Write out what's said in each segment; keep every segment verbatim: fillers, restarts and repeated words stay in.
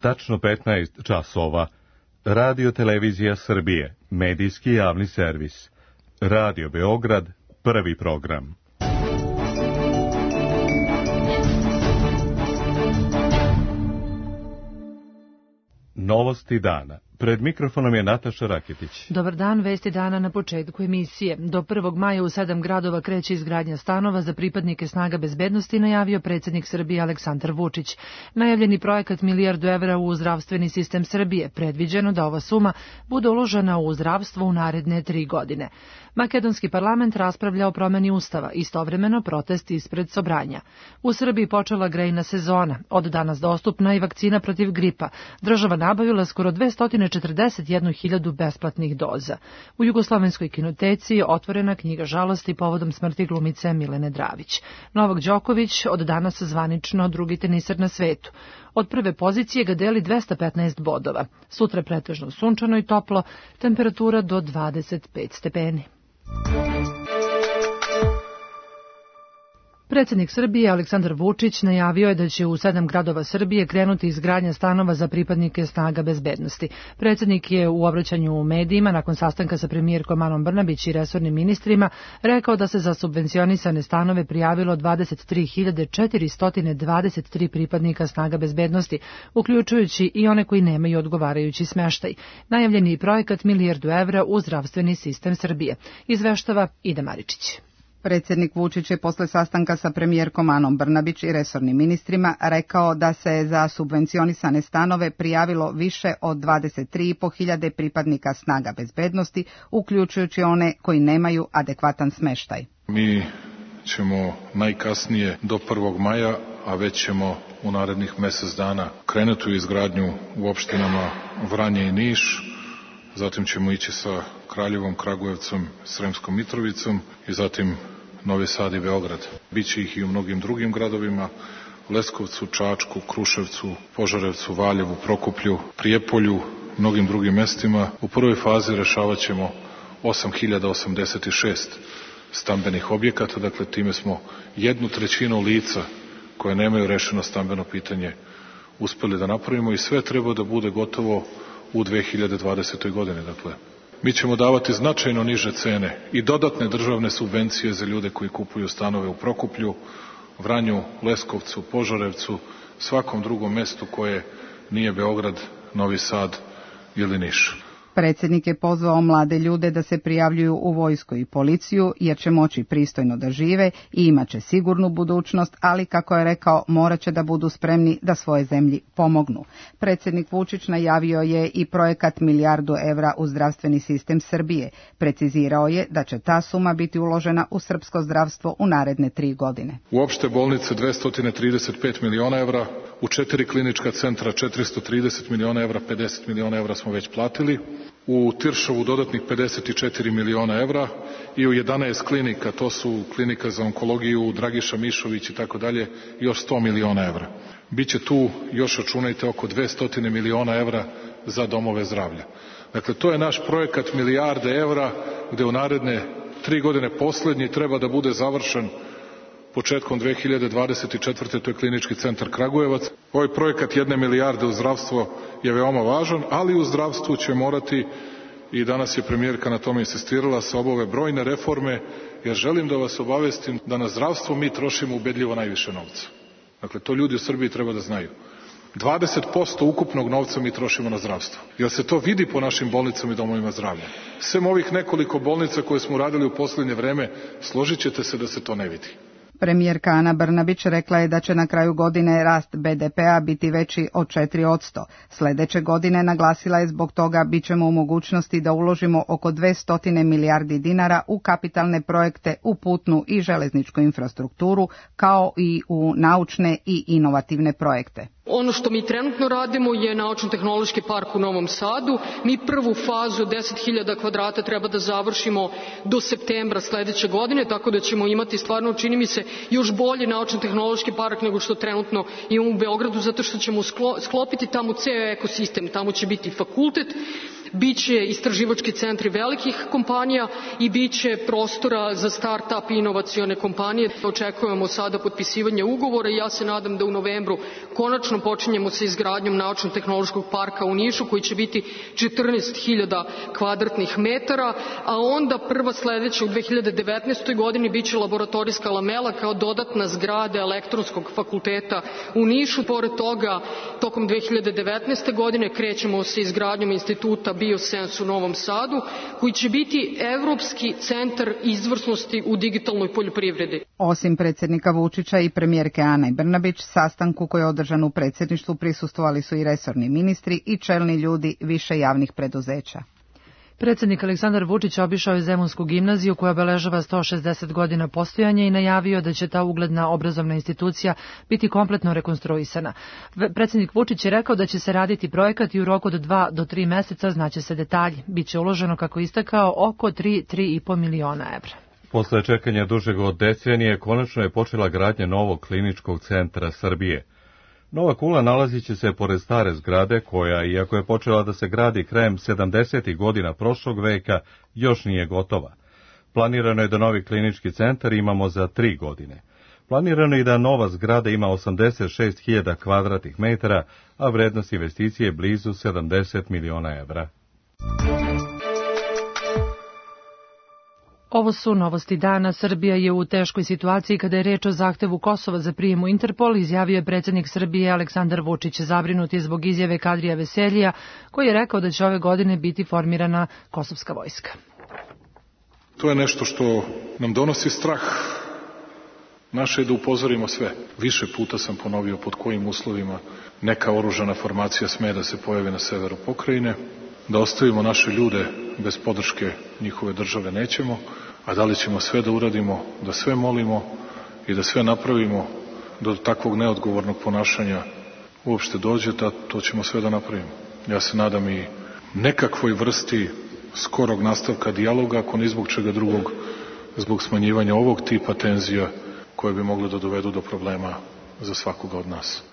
tačno petnaest časova. Radio Televizija Srbije, medijski javni servis. Radio Beograd, prvi program. Novosti dana. Pred mikrofonom je Nataša Raketić. Dobar dan, vesti dana na početku emisije. Do prvog maja u sedam gradova kreće izgradnja stanova za pripadnike snaga bezbednosti, najavio predsjednik Srbije Aleksandar Vučić. Najavljeni projekat milijardu evra u zdravstveni sistem Srbije, predviđeno da ova suma bude uložena u zdravstvo u naredne tri godine. Makedonski parlament raspravlja o promeni ustava, istovremeno protest ispred Sobranja. U Srbiji počela grejna sezona, od danas dostupna i vakcina protiv gripa. Država nabavila skoro dvesta četrdeset jedna hiljadu besplatnih doza. U Jugoslovenskoj kinoteci je otvorena knjiga žalosti povodom smrti glumice Milene Dravić. Novak Đoković od danas zvanično drugi teniser na svetu. Od prve pozicije ga deli dvesta petnaest bodova. Sutra pretežno sunčano i toplo, temperatura do dvadeset pet stepeni. Predsjednik Srbije Aleksandar Vučić najavio je da će u sedam gradova Srbije krenuti izgradnja stanova za pripadnike snaga bezbednosti. Predsjednik je u obraćanju u medijima nakon sastanka sa premijerkom Anom Brnabić i resornim ministrima rekao da se za subvencionisane stanove prijavilo dvadeset tri hiljade četiristo dvadeset tri pripadnika snaga bezbednosti, uključujući i one koji nemaju odgovarajući smeštaj. Najavljeni je projekat milijardu evra u zdravstveni sistem Srbije. Izveštava Ida Maričić. Predsjednik Vučić je posle sastanka sa premijerkom Anom Brnabić i resornim ministrima rekao da se za subvencionisane stanove prijavilo više od dvadeset tri i po hiljade pripadnika snaga bezbednosti, uključujući one koji nemaju adekvatan smeštaj. Mi ćemo najkasnije do prvog maja, a već ćemo u narednih mjesec dana krenuti u izgradnju u opštinama Vranje i Niš, zatim ćemo ići sa Kraljevom, Kragujevcom, Sremskom Mitrovicom i zatim Novi Sad i Beograd. Biće ih i u mnogim drugim gradovima, Leskovcu, Čačku, Kruševcu, Požarevcu, Valjevu, Prokuplju, Prijepolju, mnogim drugim mestima. U prvoj fazi rešavat ćemo osam hiljada osamdeset šest stambenih objekata, dakle time smo jednu trećinu lica koje nemaju rešeno stambeno pitanje uspeli da napravimo i sve treba da bude gotovo u dve hiljade dvadesetoj godini. Dakle, mi ćemo davati značajno niže cene i dodatne državne subvencije za ljude koji kupuju stanove u Prokuplju, Vranju, Leskovcu, Požarevcu, svakom drugom mestu koje nije Beograd, Novi Sad ili Niš. Predsjednik je pozvao mlade ljude da se prijavljuju u vojsku i policiju jer će moći pristojno da žive i imat će sigurnu budućnost, ali kako je rekao, morat će da budu spremni da svoje zemlji pomognu. Predsjednik Vučić najavio je i projekat milijardu evra u zdravstveni sistem Srbije. Precizirao je da će ta suma biti uložena u srpsko zdravstvo u naredne tri godine. U opšte bolnice dvesta trideset pet miliona evra, u četiri klinička centra četiristo trideset miliona evra, pedeset miliona evra smo već platili. U Tiršovu dodatnih pedeset četiri miliona evra i u jedanaest klinika, to su klinika za onkologiju, Dragiša Mišović i tako dalje, još sto miliona evra. Biće tu, još računajte, oko dvesta miliona evra za domove zdravlja. Dakle, to je naš projekat milijarde evra, gde u naredne tri godine poslednji treba da bude završen početkom dve hiljade dvadeset četvrte. to je klinički centar Kragujevac. Ovaj projekat jedne milijarde u zdravstvo je veoma važan, ali u zdravstvu će morati, i danas je premijerka na tome insistirala, se obave brojne reforme, jer želim da vas obavestim da na zdravstvo mi trošimo ubedljivo najviše novca. Dakle, to ljudi u Srbiji treba da znaju. dvadeset posto ukupnog novca mi trošimo na zdravstvo. Jer se to vidi po našim bolnicama i domovima zdravlja. Sem ovih nekoliko bolnica koje smo radili u posljednje vreme, složit ćete se da se to ne vidi. Premijerka Ana Brnabić rekla je da će na kraju godine rast be de pea biti veći od četiri posto. Sledeće godine, naglasila je, zbog toga bit ćemo u mogućnosti da uložimo oko dvesta milijardi dinara u kapitalne projekte, u putnu i železničku infrastrukturu, kao i u naučne i inovativne projekte. Ono što mi trenutno radimo je Naučno-tehnološki park u Novom Sadu. Mi prvu fazu od deset hiljada kvadrata treba da završimo do septembra sledeće godine, tako da ćemo imati stvarno, čini mi se, još bolji Naučno-tehnološki park nego što trenutno imamo u Beogradu, zato što ćemo sklopiti tamo ceo ekosistem. Tamo će biti fakultet, biće istraživački centri velikih kompanija i biće prostora za start-up i inovacione kompanije. Očekujemo sada potpisivanje ugovora i ja se nadam da u novembru konačno počinjemo sa izgradnjom naučno-tehnološkog parka u Nišu koji će biti četrnaest hiljada kvadratnih metara, a onda prva sledeća u dve hiljade devetnaestoj godini biće laboratorijska lamela kao dodatna zgrada elektronskog fakulteta u Nišu. Pored toga, tokom dve hiljade devetnaeste godine krećemo sa izgradnjom instituta Biosens u Novom Sadu, koji će biti evropski centar izvrsnosti u digitalnoj poljoprivredi. Osim predsjednika Vučića i premijerke Ane Brnabić, sastanku koji je održan u predsjedništvu prisustvovali su i resorni ministri i čelni ljudi više javnih preduzeća. Predsjednik Aleksandar Vučić obišao je Zemunsku gimnaziju koja obeležava sto šezdeset godina postojanja i najavio da će ta ugledna obrazovna institucija biti kompletno rekonstruisana. Predsjednik Vučić je rekao da će se raditi projekat i u roku od dva do tri meseca znaće se detalji. Biće uloženo, kako istakao, oko tri do tri i po miliona evra. Posle čekanja dužeg od decenije, konačno je počela gradnja novog kliničkog centra Srbije. Nova kula nalazit će se pored stare zgrade koja, iako je počela da se gradi krajem sedamdesetih godina prošlog veka, još nije gotova. Planirano je da novi klinički centar imamo za tri godine. Planirano je da nova zgrada ima osamdeset šest hiljada kvadratnih metara, a vrednost investicije je blizu sedamdeset miliona evra. Ovo su novosti dana. Srbija je u teškoj situaciji kada je reč o zahtevu Kosova za prijem u Interpol, izjavio je predsjednik Srbije Aleksandar Vučić. Zabrinut je zbog izjave Kadrija Veseljija, koji je rekao da će ove godine biti formirana kosovska vojska. To je nešto što nam donosi strah. Naše je da upozorimo sve. Više puta sam ponovio pod kojim uslovima neka oružana formacija sme da se pojavi na severu pokrajine, da ostavimo naše ljude bez podrške njihove države nećemo, a da li ćemo sve da uradimo, da sve molimo i da sve napravimo da do takvog neodgovornog ponašanja uopšte dođe, da to ćemo sve da napravimo. Ja se nadam i nekakvoj vrsti skorog nastavka dijaloga, ako ni zbog čega drugog, zbog smanjivanja ovog tipa tenzija koje bi mogle da dovedu do problema za svakoga od nas.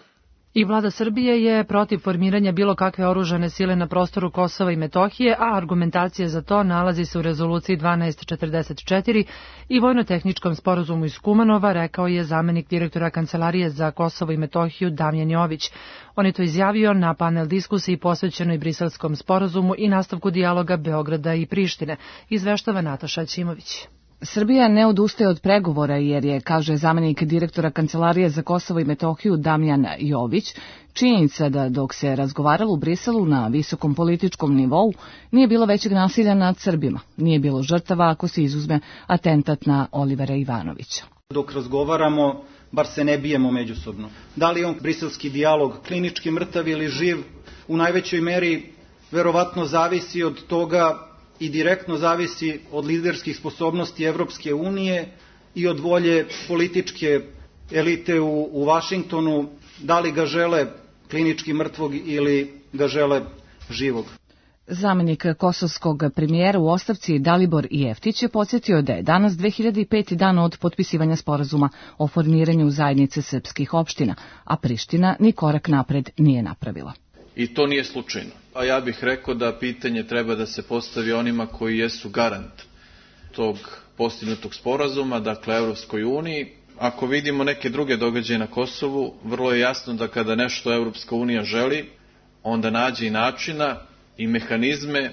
I vlada Srbije je protiv formiranja bilo kakve oružane sile na prostoru Kosova i Metohije, a argumentacija za to nalazi se u rezoluciji dvanaest četrdeset četiri i vojno-tehničkom sporazumu iz Kumanova, rekao je zamenik direktora Kancelarije za Kosovo i Metohiju Damjan Jović. On je to izjavio na panel diskusiji posvećenoj Briselskom sporazumu i nastavku dijaloga Beograda i Prištine, izveštava Nataša Ćimović. Srbija ne odustaje od pregovora jer je, kaže zamenik direktora Kancelarije za Kosovo i Metohiju Damjan Jović, činjenica da dok se razgovaralo u Briselu na visokom političkom nivou nije bilo većeg nasilja nad Srbima, nije bilo žrtava ako se izuzme atentat na Olivera Ivanovića. Dok razgovaramo, bar se ne bijemo međusobno. Da li je on briselski dijalog klinički mrtav ili živ, u najvećoj meri verovatno zavisi od toga i direktno zavisi od liderskih sposobnosti Evropske unije i od volje političke elite u, u Vašingtonu, da li ga žele klinički mrtvog ili ga žele živog. Zamenik kosovskog premijera u ostavci Dalibor Jeftić je podsjetio da je danas dve hiljade peti dan od potpisivanja sporazuma o formiranju zajednice srpskih opština, a Priština ni korak napred nije napravila. I to nije slučajno. A ja bih rekao da pitanje treba da se postavi onima koji jesu garant tog postignutog sporazuma, dakle Evropskoj uniji. Ako vidimo neke druge događaje na Kosovu, vrlo je jasno da kada nešto Evropska unija želi, onda nađe i načina i mehanizme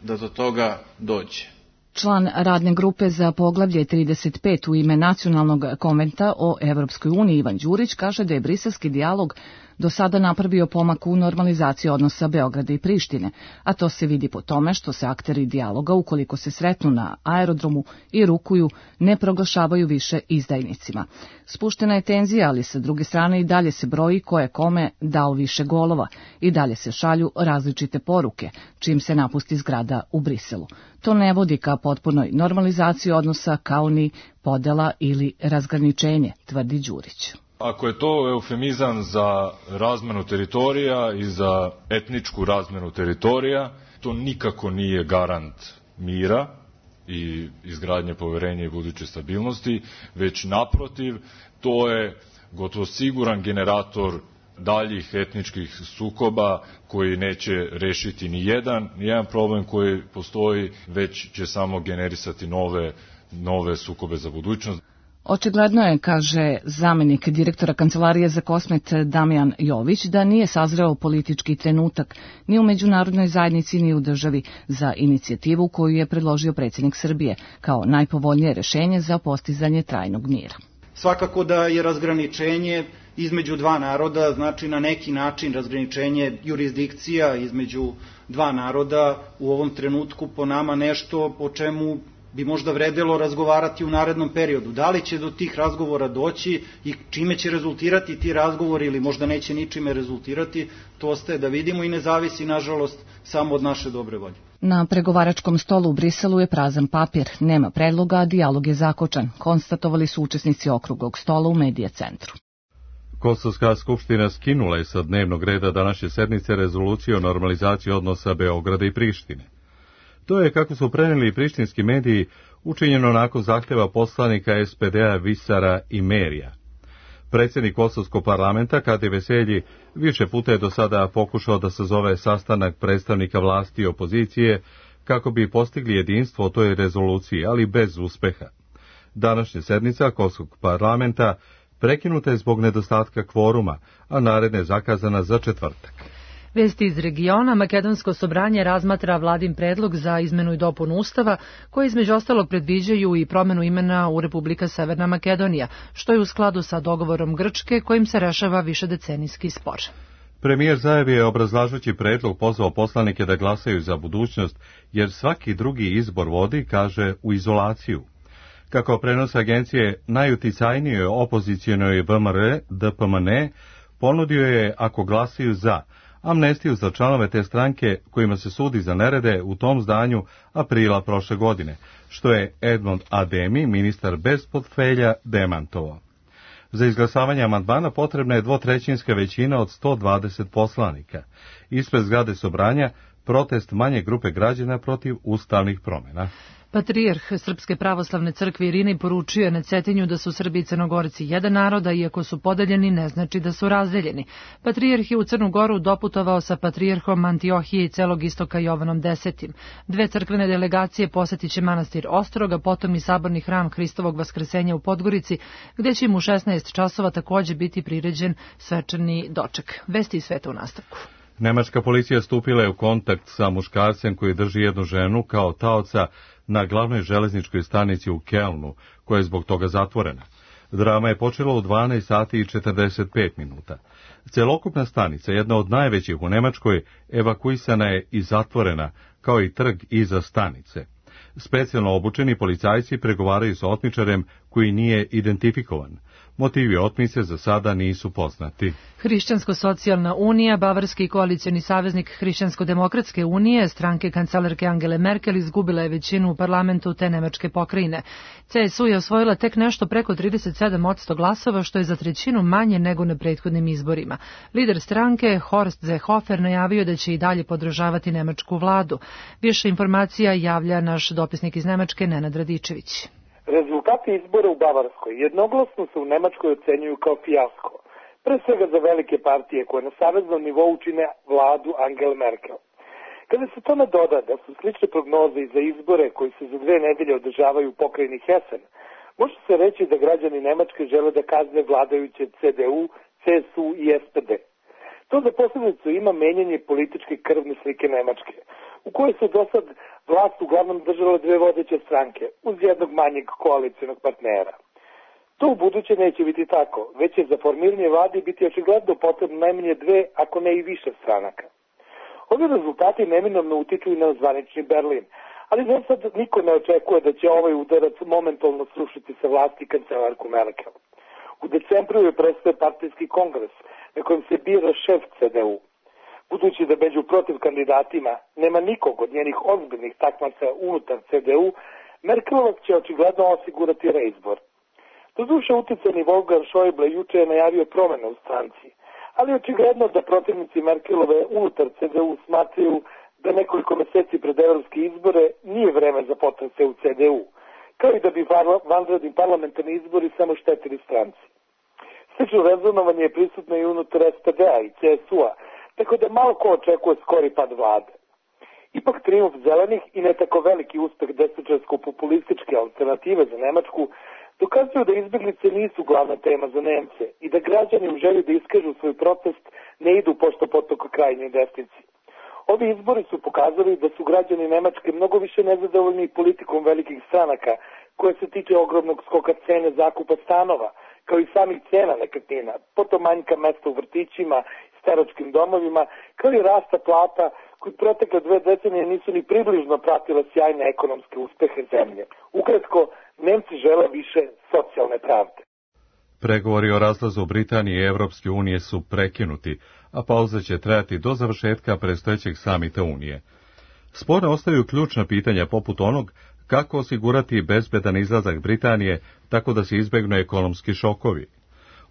da do toga dođe. Član radne grupe za poglavlje trideset pet u ime Nacionalnog konventa o Evropskoj uniji Ivan Đurić kaže da je briselski dijalog do sada napravio pomak u normalizaciji odnosa Beograda i Prištine, a to se vidi po tome što se akteri dijaloga, ukoliko se sretnu na aerodromu i rukuju, ne proglašavaju više izdajnicima. Spuštena je tenzija, ali sa druge strane i dalje se broji ko je kome dao više golova i dalje se šalju različite poruke, čim se napusti zgrada u Briselu. To ne vodi ka potpunoj normalizaciji odnosa kao ni podela ili razgraničenje, tvrdi Đurić. Ako je to eufemizam za razmenu teritorija i za etničku razmenu teritorija, to nikako nije garant mira i izgradnje poverenja i buduće stabilnosti, već naprotiv, to je gotovo siguran generator daljih etničkih sukoba koji neće rešiti ni jedan, ni jedan problem koji postoji, već će samo generisati nove, nove sukobe za budućnost. Očigledno je, kaže zamenik direktora Kancelarije za Kosmet Damjan Jović, da nije sazreo politički trenutak ni u međunarodnoj zajednici ni u državi za inicijativu koju je predložio predsjednik Srbije kao najpovoljnije rešenje za postizanje trajnog mira. Svakako da je razgraničenje između dva naroda, znači na neki način razgraničenje jurisdikcija između dva naroda u ovom trenutku po nama nešto o čemu bi možda vredelo razgovarati u narednom periodu. Da li će do tih razgovora doći i čime će rezultirati ti razgovori ili možda neće ničime rezultirati, to ostaje da vidimo i ne zavisi, nažalost, samo od naše dobre volje. Na pregovaračkom stolu u Briselu je prazan papir, nema predloga, a dijalog je zakočan, konstatovali su učesnici okruglog stola u Medija centru. Kosovska skupština skinula je sa dnevnog reda današnje sednice rezoluciju o normalizaciji odnosa Beograda i Prištine. To je, kako su preneli prištinski mediji, učinjeno nakon zahtjeva poslanika es pe de-a Visara i Merija. Predsjednik Kosovskog parlamenta, Kadi Veselji, više puta je do sada pokušao da sazove sastanak predstavnika vlasti i opozicije kako bi postigli jedinstvo o toj rezoluciji, ali bez uspeha. Današnja sednica Kosovskog parlamenta prekinuta je zbog nedostatka kvoruma, a naredna je zakazana za četvrtak. Vesti iz regiona, Makedonsko sobranje razmatra vladin predlog za izmenu i dopunu Ustava, koji između ostalog predviđaju i promenu imena u Republika Severna Makedonija, što je u skladu sa dogovorom Grčke kojim se rešava višedecenijski spor. Premijer Zajev je, obrazlažući predlog, pozvao poslanike da glasaju za budućnost, jer svaki drugi izbor vodi, kaže, u izolaciju. Kako prenos agencije, najuticajnijoj opozicijonoj ve em er de pe em en ponudio je, ako glasaju za, amnestiju za članove te stranke kojima se sudi za nerede u tom zdanju aprila prošle godine, što je Edmond Ademi, ministar bez portfelja, demantovao. Za izglasavanje amandmana potrebna je dvotrećinska većina od sto dvadeset poslanika. Ispred zgrade Sobranja protest manje grupe građana protiv ustavnih promjena. Patrijarh Srpske pravoslavne crkve Irinej poručio je na Cetinju da su Srbi i Crnogorci jedan naroda, iako su podeljeni ne znači da su razdeljeni. Patrijarh je u Crnu Goru doputovao sa patrijarhom Antiohije i celog istoka Jovanom desetim. Dve crkvene delegacije posjetit će manastir Ostroga, potom i saborni hram Hristovog vaskrsenja u Podgorici, gde će im u šesnaest časova takođe biti priređen svečani doček. Vesti iz sveta u nastavku. Nemačka policija stupila je u kontakt sa muškarcem koji drži jednu ženu kao taoca na glavnoj železničkoj stanici u Kelnu, koja je zbog toga zatvorena. Drama je počela u dvanaest sati i četrdeset pet minuta. Celokupna stanica, jedna od najvećih u Nemačkoj, evakuisana je i zatvorena, kao i trg iza stanice. Specijalno obučeni policajci pregovaraju sa otmičarem koji nije identifikovan. Motivi otmice za sada nisu poznati. Hrišćansko-socijalna unija, bavarski koalicioni saveznik Hrišćansko-demokratske unije, stranke kancelarke Angele Merkel, izgubila je većinu u parlamentu te nemačke pokrajine. ce es u je osvojila tek nešto preko trideset sedam posto glasova, što je za trećinu manje nego na prethodnim izborima. Lider stranke, Horst Seehofer, najavio da će i dalje podržavati nemačku vladu. Više informacija javlja naš dopisnik iz Nemačke, Nenad Radičević. Rezultati izbora u Bavarskoj jednoglasno se u Nemačkoj ocenjuju kao fijasko, pre svega za velike partije koje na saveznom nivou čine vladu Angele Merkel. Kada se tome doda da su slične prognoze i za izbore koji se za dve nedelje održavaju u pokrajini Hessen, može se reći da građani Nemačke žele da kazne vladajuće ce de u, ce es u i es pe de. To za posledicu ima menjanje političke krvne slike Nemačke, u kojoj su do sad vlast uglavnom držale dve vodeće stranke, uz jednog manjeg koalicijonog partnera. To u buduće neće biti tako, već će za formiranje vlade biti očigledno potrebno najmanje dve, ako ne i više stranaka. Ovi rezultati neminovno utiču i na zvanični Berlin, ali za sad niko ne očekuje da će ovaj udarac momentalno srušiti sa vlasti kancelarku Merkel. U decembru je prestaje partijski kongres, na kojem se bira šef ce de u. Budući da među protiv kandidatima nema nikog od njenih ozbiljnih takmaca unutar ce de u, Merkelovac će očigledno osigurati reizbor. Doduše, uticajni Wolfgang Schäuble juče je najavio promjene u stranci, ali očigledno da protivnici Merkelove unutar ce de u smatraju da nekoliko meseci pred evropske izbore nije vreme za potrese u ce de u, kao i da bi vanredni parlamentarni izbori samo štetili stranci. Slično rezonovanje je prisutno i unutar S P D-a i C S U-a, tako da malo ko očekuje skori pad vlade. Ipak trijumf zelenih i ne tako veliki uspeh desničarsko-populističke alternative za Nemačku dokazuju da izbjeglice nisu glavna tema za Nemce i da građani u želji da iskažu svoj protest ne idu pošto potoka krajnjoj desnici. Ovi izbori su pokazali da su građani Nemačke mnogo više nezadovoljni politikom velikih stranaka koje se tiče ogromnog skoka cene zakupa stanova, kao i samih cena nekretnina, potom manjka mesta u vrtićima, staračkim domovima, kao i rasta plata koji protekle dve decenije nisu ni približno pratile sjajne ekonomske uspehe zemlje. Ukratko, Nemci žele više socijalne pravde. Pregovori o razlazu Britanije i Evropske unije su prekinuti, a pauza će trajati do završetka predstojećeg samita Unije. Sporne ostaju ključna pitanja poput onog kako osigurati bezbedan izlazak Britanije tako da se izbegnu ekonomski šokovi.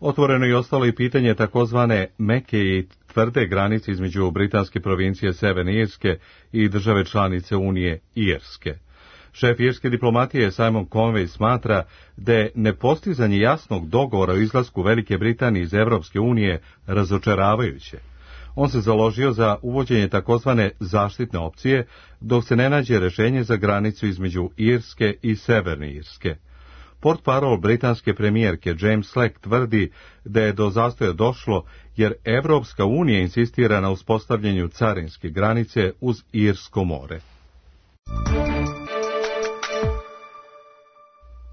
Otvoreno je ostalo i pitanje takozvane meke i tvrde granice između britanske provincije Severne Irske i države članice Unije Irske. Šef irske diplomatije Simon Conway smatra da je nepostizanje jasnog dogovora o izlasku Velike Britanije iz Evropske unije razočaravajuće. On se založio za uvođenje takozvane zaštitne opcije, dok se ne nađe rešenje za granicu između Irske i Severne Irske. Portparol britanske premijerke James Slack tvrdi da je do zastoja došlo jer Evropska unija insistira na uspostavljanju carinske granice uz Irsko more.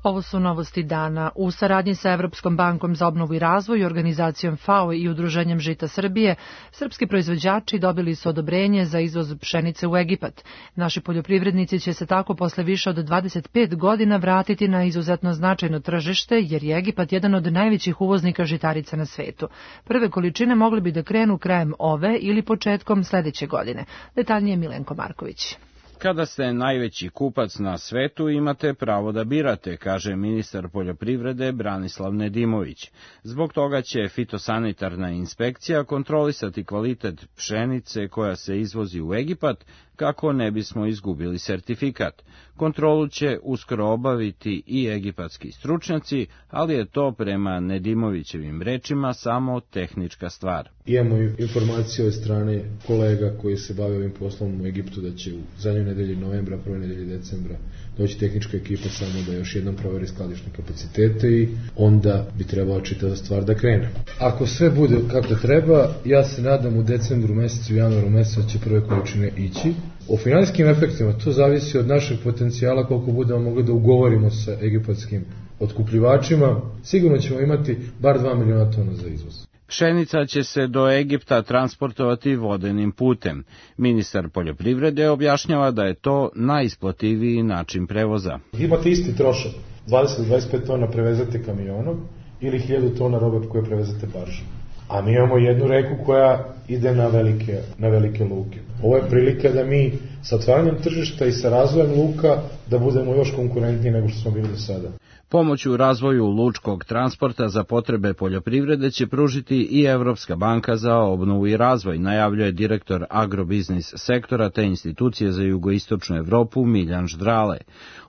Ovo su novosti dana. U saradnji sa Evropskom bankom za obnovu i razvoj, organizacijom F A O i Udruženjem Žita Srbije, srpski proizvođači dobili su odobrenje za izvoz pšenice u Egipat. Naši poljoprivrednici će se tako posle više od dvadeset pet godina vratiti na izuzetno značajno tržište, jer je Egipat jedan od najvećih uvoznika žitarica na svetu. Prve količine mogli bi da krenu krajem ove ili početkom sledeće godine. Detaljnije Milenko Marković. Kada ste najveći kupac na svetu, imate pravo da birate, kaže ministar poljoprivrede Branislav Nedimović. Zbog toga će fitosanitarna inspekcija kontrolisati kvalitet pšenice koja se izvozi u Egipat, kako ne bismo izgubili sertifikat. Kontrolu će uskoro obaviti i egipatski stručnjaci, ali je to prema Nedimovićevim rečima samo tehnička stvar. Imamo informacije od strane kolega koji se bave ovim poslom u Egiptu da će u zadnjoj nedelji novembra, prvoj nedelji decembra doći tehnička ekipa samo da još jednom proveri skladišne kapacitete i onda bi trebala čitava stvar da krene. Ako sve bude kako treba, ja se nadam u decembru mesecu, januaru mesecu će prve količine ići. O finansijskim efektima to zavisi od našeg potencijala koliko budemo mogli da ugovorimo sa egipatskim otkupljivačima. Sigurno ćemo imati bar dva miliona tona za izvoz. Pšenica će se do Egipta transportovati vodenim putem. Ministar poljoprivrede objašnjava da je to najisplativiji način prevoza. Imate isti trošak, dvadeset do dvadeset pet tona prevezate kamionom ili hiljadu tona robe koje prevezate baržom. A mi imamo jednu reku koja ide na velike, na velike luke. Ovo je prilika da mi sa otvaranjem tržišta i sa razvojem luka da budemo još konkurentniji nego što smo bili do sada. Pomoć u razvoju lučkog transporta za potrebe poljoprivrede će pružiti i Evropska banka za obnovu i razvoj, najavljuje direktor agrobiznis sektora te institucije za jugoistočnu Evropu Miljan Ždrale.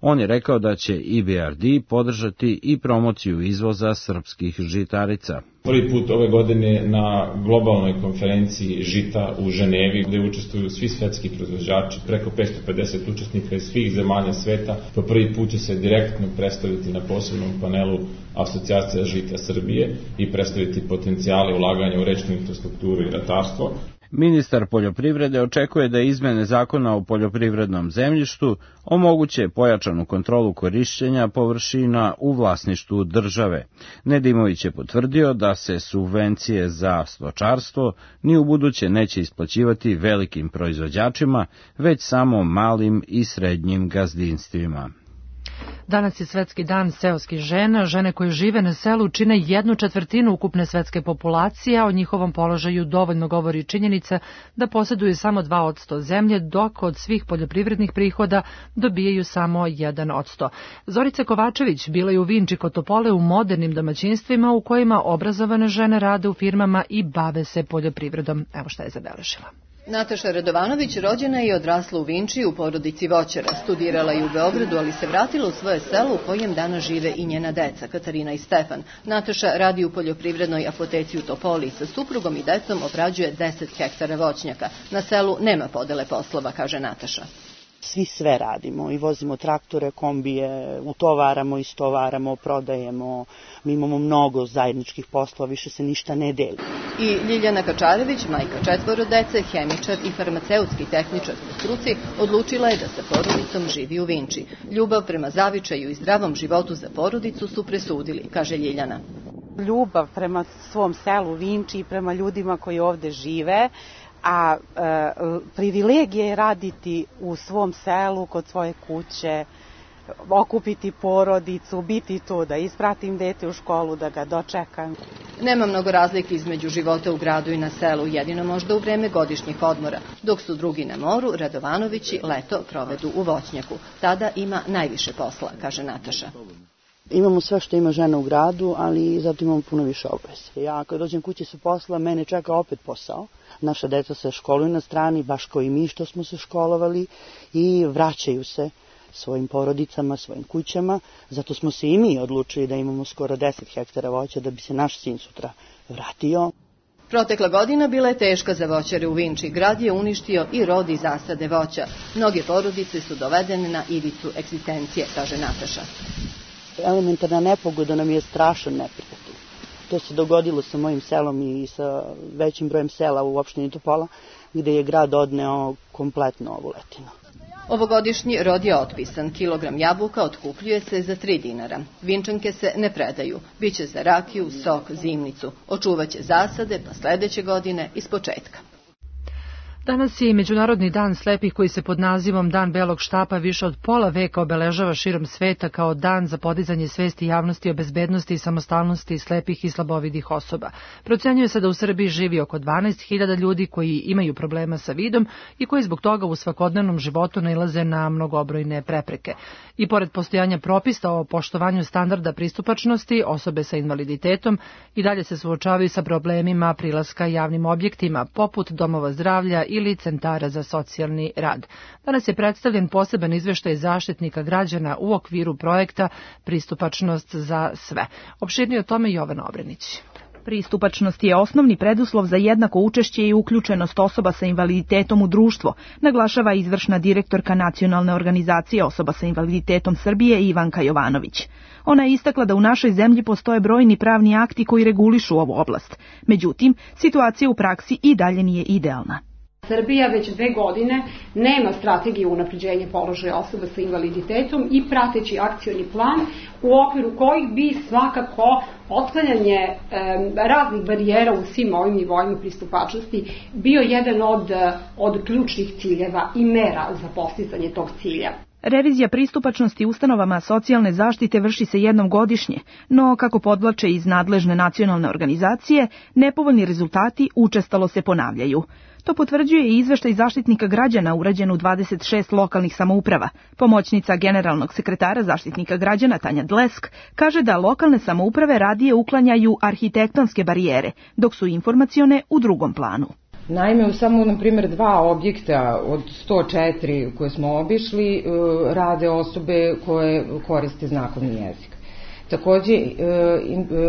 On je rekao da će E B R D podržati i promociju izvoza srpskih žitarica. Prvi put ove godine na globalnoj konferenciji žita u Ženevi, gde učestvuju svi svetski proizvođači, preko petsto pedeset učesnika iz svih zemalja sveta. Po prvi put će se direktno predstaviti na posebnom panelu Asocijacija žita Srbije i predstaviti potencijale ulaganja u rečnu infrastrukturu i ratarstvo. Ministar poljoprivrede očekuje da izmene zakona o poljoprivrednom zemljištu omoguće pojačanu kontrolu korišćenja površina u vlasništvu države. Nedimović je potvrdio da se subvencije za stočarstvo ni u buduće neće isplaćivati velikim proizvođačima, već samo malim i srednjim gazdinstvima. Danas je Svetski dan seoskih žena. Žene koje žive na selu čine jednu četvrtinu ukupne svetske populacije, a o njihovom položaju dovoljno govori činjenica da posjeduju samo dva posto zemlje, dok od svih poljoprivrednih prihoda dobijaju samo jedan posto. Zorica Kovačević bila je u Vinči kod Topole u modernim domaćinstvima u kojima obrazovane žene rade u firmama i bave se poljoprivredom. Evo šta je zabeležila. Nataša Radovanović rođena je i odrasla u Vinči u porodici voćara. Studirala je u Beogradu, ali se vratila u svoje selo u kojem danas žive i njena deca, Katarina i Stefan. Nataša radi u poljoprivrednoj apoteci u Topoli. Sa suprugom i decom obrađuje deset hektara voćnjaka. Na selu nema podele poslova, kaže Nataša. Svi sve radimo i vozimo traktore, kombije, utovaramo, istovaramo, prodajemo. Mi imamo mnogo zajedničkih poslova, više se ništa ne deli. I Ljiljana Kačarević, majka četvoro dece, hemičar i farmaceutski tehničar po struci, odlučila je da sa porodicom živi u Vinči. Ljubav prema zavičaju i zdravom životu za porodicu su presudili, kaže Ljiljana. Ljubav prema svom selu Vinči i prema ljudima koji ovde žive, a e, privilegija je raditi u svom selu, kod svoje kuće, okupiti porodicu, biti tu, da ispratim dete u školu, da ga dočekam. Nema mnogo razlike između života u gradu i na selu, jedino možda u vreme godišnjih odmora. Dok su drugi na moru, Radovanovići leto provedu u voćnjaku. Tada ima najviše posla, kaže Nataša. Imamo sve što ima žena u gradu, ali zato imamo puno više obaveza. Ja kad dođem kući sa posla, mene čeka opet posao. Naša deca se školuju na strani, baš kao i mi što smo se školovali, i vraćaju se svojim porodicama, svojim kućama. Zato smo se i mi odlučili da imamo skoro deset hektara voća da bi se naš sin sutra vratio. Protekla godina bila je teška za voćare u Vinči. Grad je uništio i rod i zasade voća. Mnoge porodice su dovedene na ivicu egzistencije, kaže Nataša. Elementarna nepogoda nam je strašan neprijatelj. To se dogodilo sa mojim selom i sa većim brojem sela u opštini Topola, gde je grad odneo kompletno ovu letinu. Ovogodišnji rod je otpisan. Kilogram jabuka otkupljuje se za tri dinara. Vinčanke se ne predaju. Biće za rakiju, sok, zimnicu. Očuvaće zasade, pa sledeće godine ispočetka. Danas je i Međunarodni dan slepih koji se pod nazivom Dan belog štapa više od pola veka obeležava širom sveta kao dan za podizanje svesti javnosti o bezbednosti i samostalnosti slepih i slabovidih osoba. Procenjuje se da u Srbiji živi oko dvanaest hiljada ljudi koji imaju problema sa vidom i koji zbog toga u svakodnevnom životu nailaze na mnogobrojne prepreke. I pored postojanja propisa o poštovanju standarda pristupačnosti, osobe sa invaliditetom i dalje se suočavaju sa problemima prilaska javnim objektima, poput domova zdravlja ili centara za socijalni rad. Danas je predstavljen poseban izveštaj Zaštitnika građana u okviru projekta Pristupačnost za sve. Opširnije o tome Jovana Obrenić. Pristupačnost je osnovni preduslov za jednako učešće i uključenost osoba sa invaliditetom u društvo, naglašava izvršna direktorka Nacionalne organizacije osoba sa invaliditetom Srbije Ivanka Jovanović. Ona je istakla da u našoj zemlji postoje brojni pravni akti koji regulišu ovu oblast. Međutim, situacija u praksi i dalje nije idealna. Srbija već dve godine nema strategiju unapređenja položaja osoba sa invaliditetom i prateći akcioni plan u okviru kojih bi svakako otklanjanje e, raznih barijera u svim ovim nivoima pristupačnosti bio jedan od, od ključnih ciljeva i mera za postizanje tog cilja. Revizija pristupačnosti ustanovama socijalne zaštite vrši se jednom godišnje, no, kako podvlače iz nadležne nacionalne organizacije, nepovoljni rezultati učestalo se ponavljaju. To potvrđuje i izveštaj Zaštitnika građana urađen u dvadeset šest lokalnih samouprava. Pomoćnica generalnog sekretara Zaštitnika građana Tanja Dlesk kaže da lokalne samouprave radije uklanjaju arhitektonske barijere, dok su informacione u drugom planu. Naime, u samo, na primjer, dva objekta od sto četiri koje smo obišli rade osobe koje koriste znakovni jezik. Takođe,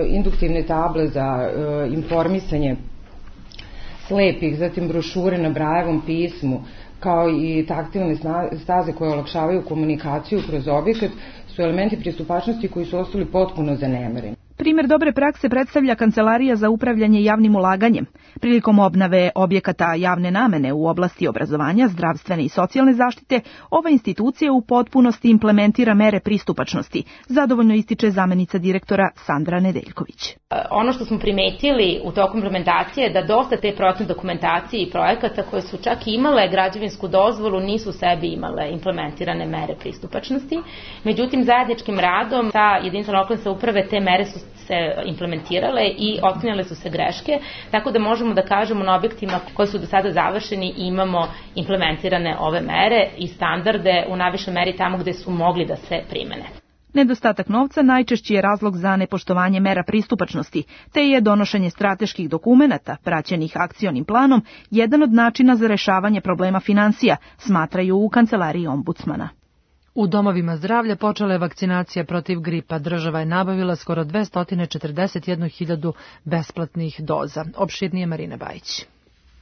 induktivne table za informisanje slepih, zatim brošure na Brajevom pismu, kao i taktilne staze koje olakšavaju komunikaciju kroz objekat, su elementi pristupačnosti koji su ostali potpuno zanemareni. Primjer dobre prakse predstavlja Kancelarija za upravljanje javnim ulaganjem. Prilikom obnove objekata javne namene u oblasti obrazovanja, zdravstvene i socijalne zaštite, ova institucija u potpunosti implementira mere pristupačnosti, zadovoljno ističe zamenica direktora Sandra Nedeljković. Ono što smo primetili u toku implementacije je da dosta te projektne dokumentacije i projekata koje su čak imale građevinsku dozvolu nisu u sebi imale implementirane mere pristupačnosti. Međutim, zajedničkim radom sa jedinicama lokalne samouprave te mere su se implementirale i otklanjale su se greške, tako da možemo da kažemo na objektima koji su do sada završeni imamo implementirane ove mere i standarde u najvišoj meri tamo gde su mogli da se primene. Nedostatak novca najčešći je razlog za nepoštovanje mera pristupačnosti, te je donošenje strateških dokumenata, praćenih akcionim planom, jedan od načina za rešavanje problema finansija, smatraju u kancelariji ombudsmana. U domovima zdravlja počela je vakcinacija protiv gripa. Država je nabavila skoro dvesta četrdeset jedna hiljadu besplatnih doza. Opširnije Marina Bajić.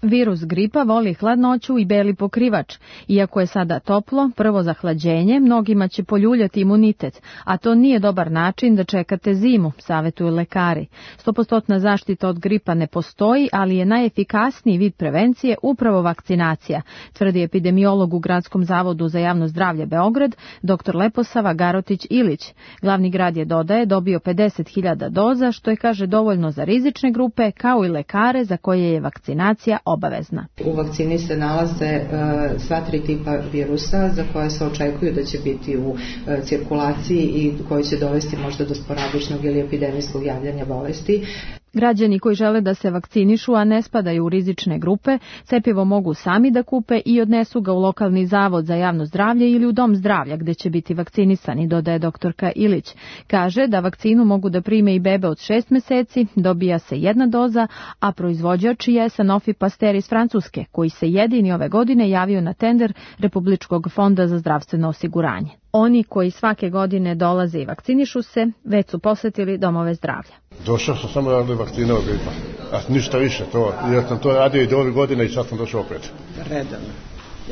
Virus gripa voli hladnoću i beli pokrivač. Iako je sada toplo, prvo zahlađenje mnogima će poljuljati imunitet, a to nije dobar način da čekate zimu, savetuju lekari. Stopostotna zaštita od gripa ne postoji, ali je najefikasniji vid prevencije upravo vakcinacija, tvrdi epidemiolog u Gradskom zavodu za javno zdravlje Beograd, dr Leposava Garotić-Ilić. Glavni grad je, dodaje, dobio pedeset hiljada doza, što je, kaže, dovoljno za rizične grupe, kao i lekare za koje je vakcinacija obavezna. U vakcini se nalaze uh, sva tri tipa virusa za koje se očekuju da će biti u uh, cirkulaciji i koji će dovesti možda do sporadičnog ili epidemijskog javljanja bolesti. Građani koji žele da se vakcinišu, a ne spadaju u rizične grupe, cepivo mogu sami da kupe i odnesu ga u lokalni zavod za javno zdravlje ili u dom zdravlja gde će biti vakcinisani, dodaje doktorka Ilić. Kaže da vakcinu mogu da prime i bebe od šest meseci, dobija se jedna doza, a proizvođač je Sanofi Pasteur iz Francuske, koji se jedini ove godine javio na tender Republičkog fonda za zdravstveno osiguranje. Oni koji svake godine dolaze i vakcinišu se, već su posetili domove zdravlja. Došao sam samo da vakcina od gripa, a ništa više. To, ja sam to radio i do ove godine i sad sam došao opet. Redano.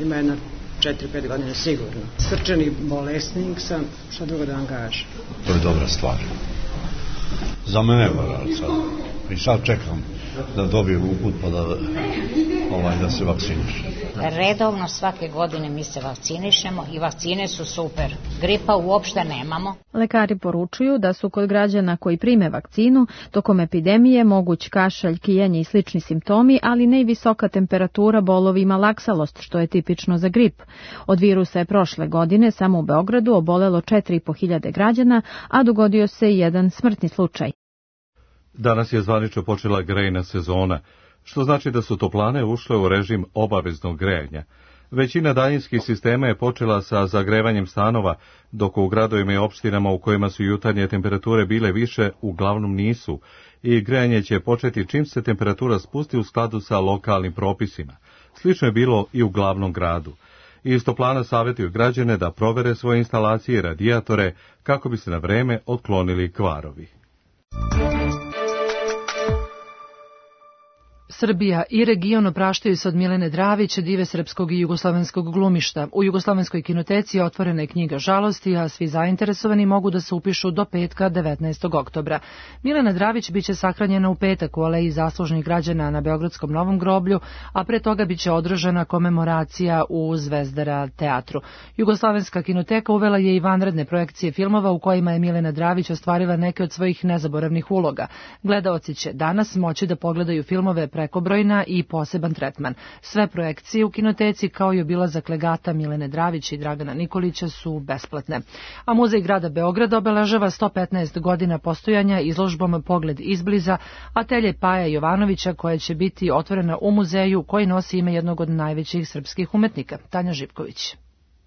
Ima jedna četiri pet godina sigurno. Srčani bolesnik sam, što drugo da vam kažem. To je dobra stvar. Za mene je sad. I sad čekam da dobijem uput pa da, ovaj, da se vakciniš. Redovno svake godine mi se vakcinišemo i vakcine su super. Gripa uopšte nemamo. Lekari poručuju da su kod građana koji prime vakcinu tokom epidemije moguć kašalj, kijanje i slični simptomi, ali ne i visoka temperatura, bolovi i malaksalost, što je tipično za grip. Od virusa je prošle godine samo u Beogradu obolelo četiri i po hiljade građana, a dogodio se i jedan smrtni slučaj. Danas je zvanično počela grejna sezona, što znači da su toplane ušle u režim obaveznog grejanja. Većina daljinskih sistema je počela sa zagrevanjem stanova, dok u gradovima i opštinama u kojima su jutarnje temperature bile više, uglavnom nisu, i grejanje će početi čim se temperatura spusti u skladu sa lokalnim propisima. Slično je bilo i u glavnom gradu. Iz toplana savjetuju građane da provere svoje instalacije i radijatore kako bi se na vreme otklonili kvarovi. Srbija i region opraštaju se od Milene Dravić, dive srpskog i jugoslovenskog glumišta. U Jugoslovenskoj kinoteci otvorena je knjiga žalosti, a svi zainteresovani mogu da se upišu do petka devetnaestog oktobra. Milena Dravić biće sahranjena u petak u Aleji zaslužnih građana na Beogradskom Novom groblju, a pre toga biće održana komemoracija u Zvezdara teatru. Jugoslovenska kinoteka uvela je i vanredne projekcije filmova u kojima je Milena Dravić ostvarila neke od svojih nezaboravnih uloga. Gledaoci će danas moći da pogledaju filmove Prekobrojna i Poseban tretman. Sve projekcije u kinoteci kao i obilazak legata Milene Dravić i Dragana Nikolića su besplatne. A Muzej grada Beograda obeležava sto petnaest godina postojanja izložbom Pogled izbliza atelje Paja Jovanovića, koja će biti otvorena u muzeju koji nosi ime jednog od najvećih srpskih umetnika. Tanja Živković.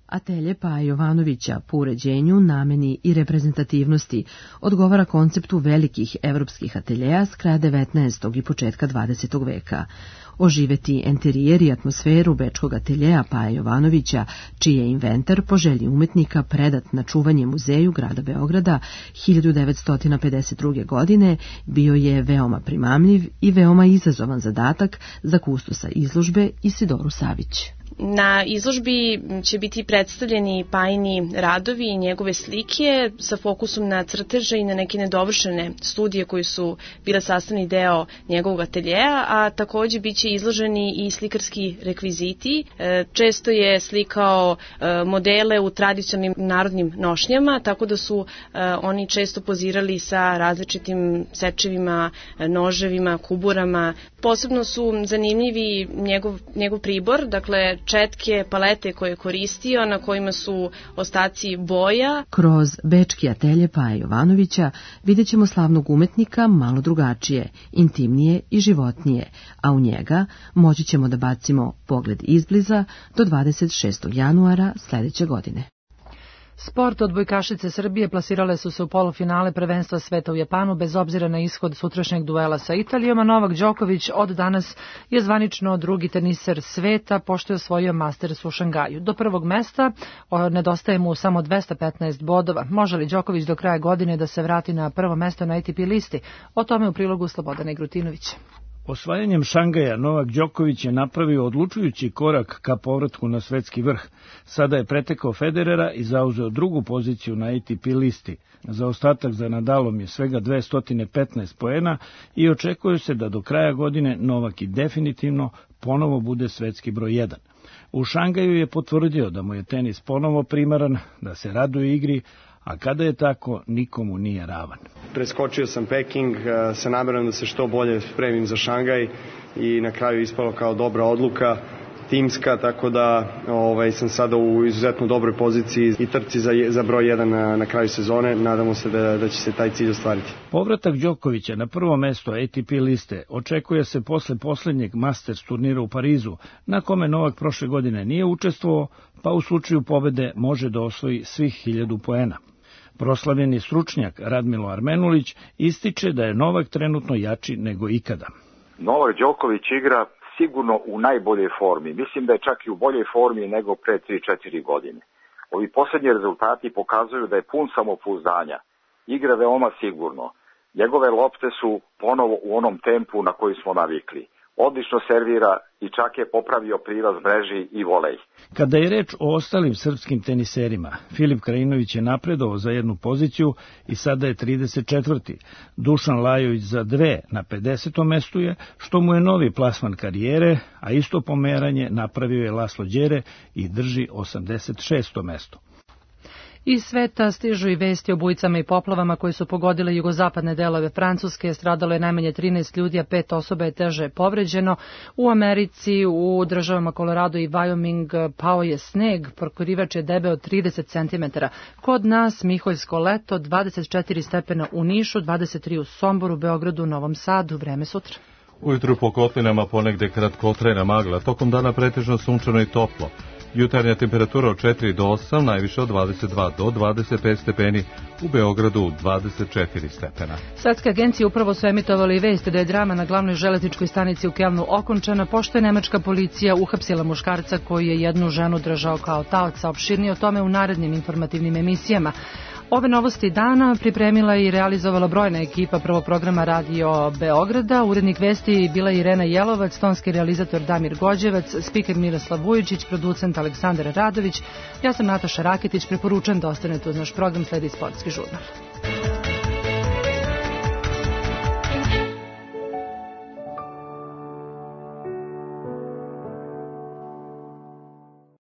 Atelje Paja Jovanovića po uređenju, nameni i reprezentativnosti odgovara konceptu velikih evropskih ateljeja s kraja devetnaestog i početka dvadesetog veka. Oživeti enterijer i atmosferu bečkog ateljeja Paja Jovanovića, čiji je inventar po želji umetnika predat na čuvanje muzeju grada Beograda hiljadu devetsto pedeset druge. godine, bio je veoma primamljiv i veoma izazovan zadatak za kustosa izložbe Isidoru Savić. Na izložbi će biti predstavljeni Pajini radovi i njegove slike sa fokusom na crteže i na neke nedovršene studije koji su bile sastavni deo njegovog ateljeja, a takođe biće izloženi i slikarski rekviziti. Često je slikao modele u tradicionalnim narodnim nošnjama, tako da su oni često pozirali sa različitim sečevima, noževima, kuburama. Posebno su zanimljivi njegov, njegov pribor, dakle četke, palete koje je koristio, na kojima su ostaci boja. Kroz bečki atelje Paja Jovanovića vidjet ćemo slavnog umetnika malo drugačije, intimnije i životnije, a u njega moći ćemo da bacimo pogled izbliza do dvadeset šestog januara sledeće godine. Sport, odbojkašice Srbije plasirale su se u polufinale prvenstva sveta u Japanu bez obzira na ishod sutrašnjeg duela sa Italijom, a Novak Đoković od danas je zvanično drugi teniser sveta pošto je osvojio Masters u Šangaju. Do prvog mesta nedostaje mu samo dvesta petnaest bodova. Može li Đoković do kraja godine da se vrati na prvo mesto na A T P listi? O tome u prilogu Slobodana Igrutinovića. Osvajanjem Šangaja Novak Đoković je napravio odlučujući korak ka povratku na svetski vrh. Sada je pretekao Federera i zauzeo drugu poziciju na A T P listi. Zaostatak za Nadalom je svega dvesta petnaest poena i očekuje se da do kraja godine Novak i definitivno ponovo bude svetski broj jedan. U Šangaju je potvrdio da mu je tenis ponovo primaran, da se raduje igri, a kada je tako, nikomu nije ravan. Preskočio sam Peking sa namerom da se što bolje spremim za Šangaj i na kraju ispalo kao dobra odluka timska, tako da ovaj, sam sada u izuzetno dobroj poziciji i trci za, za broj jedan na, na kraju sezone. Nadamo se da, da će se taj cilj ostvariti. Povratak Đokovića na prvo mesto A T P liste očekuje se posle poslednjeg Masters turnira u Parizu, na kome Novak prošle godine nije učestvovao, pa u slučaju pobede može da osvoji svih hiljadu poena. Proslavljeni stručnjak Radmilo Armenulić ističe da je Novak trenutno jači nego ikada. Novak Đoković igra sigurno u najboljoj formi. Mislim da je čak i u boljoj formi nego pre tri četiri godine. Ovi posljednji rezultati pokazuju da je pun samopouzdanja. Igra veoma sigurno. Njegove lopte su ponovo u onom tempu na koji smo navikli. Odlično servira i čak je popravio prilaz mreži i volej. Kada je reč o ostalim srpskim teniserima, Filip Krajinović je napredovao za jednu poziciju i sada je trideset četvrti. Dušan Lajović za dve na pedesetom mestu je, što mu je novi plasman karijere, a isto pomeranje napravio je Laslo Đere i drži osamdeset šesto mesto. Iz sveta stižu i vesti o bujicama i poplavama koje su pogodile jugozapadne delove Francuske. Stradalo je najmanje trinaest ljudi, a pet osoba je teže povređeno. U Americi, u državama Colorado i Wyoming pao je sneg, pokrivač je debeo trideset centimetara. Kod nas Miholjsko leto, dvadeset četiri stepena u Nišu, dvadeset tri u Somboru, Beogradu, Novom Sadu. Vreme sutra. Ujutru po kotlinama ponegde kratkotrajna magla, tokom dana pretežno sunčano i toplo. Jutarnja temperatura od četiri do osam, najviše od dvadeset dva do dvadeset pet stepeni, u Beogradu dvadeset četiri stepena. Svetske agencije upravo su emitovali vest da je drama na glavnoj železničkoj stanici u Kelnu okončana, pošto je nemačka policija uhapsila muškarca koji je jednu ženu držao kao taoca. Opširnije o tome u narednim informativnim emisijama. Ove novosti dana pripremila i realizovala brojna ekipa prvog programa Radio Beograda. Urednik vesti bila je Irena Jelovac, tonski realizator Damir Gođevac, spiker Miroslav Vujičić, producent Aleksandar Radović. Ja sam Nataša Raketić, preporučujem da ostanete uz naš program, sledi sportski žurnal.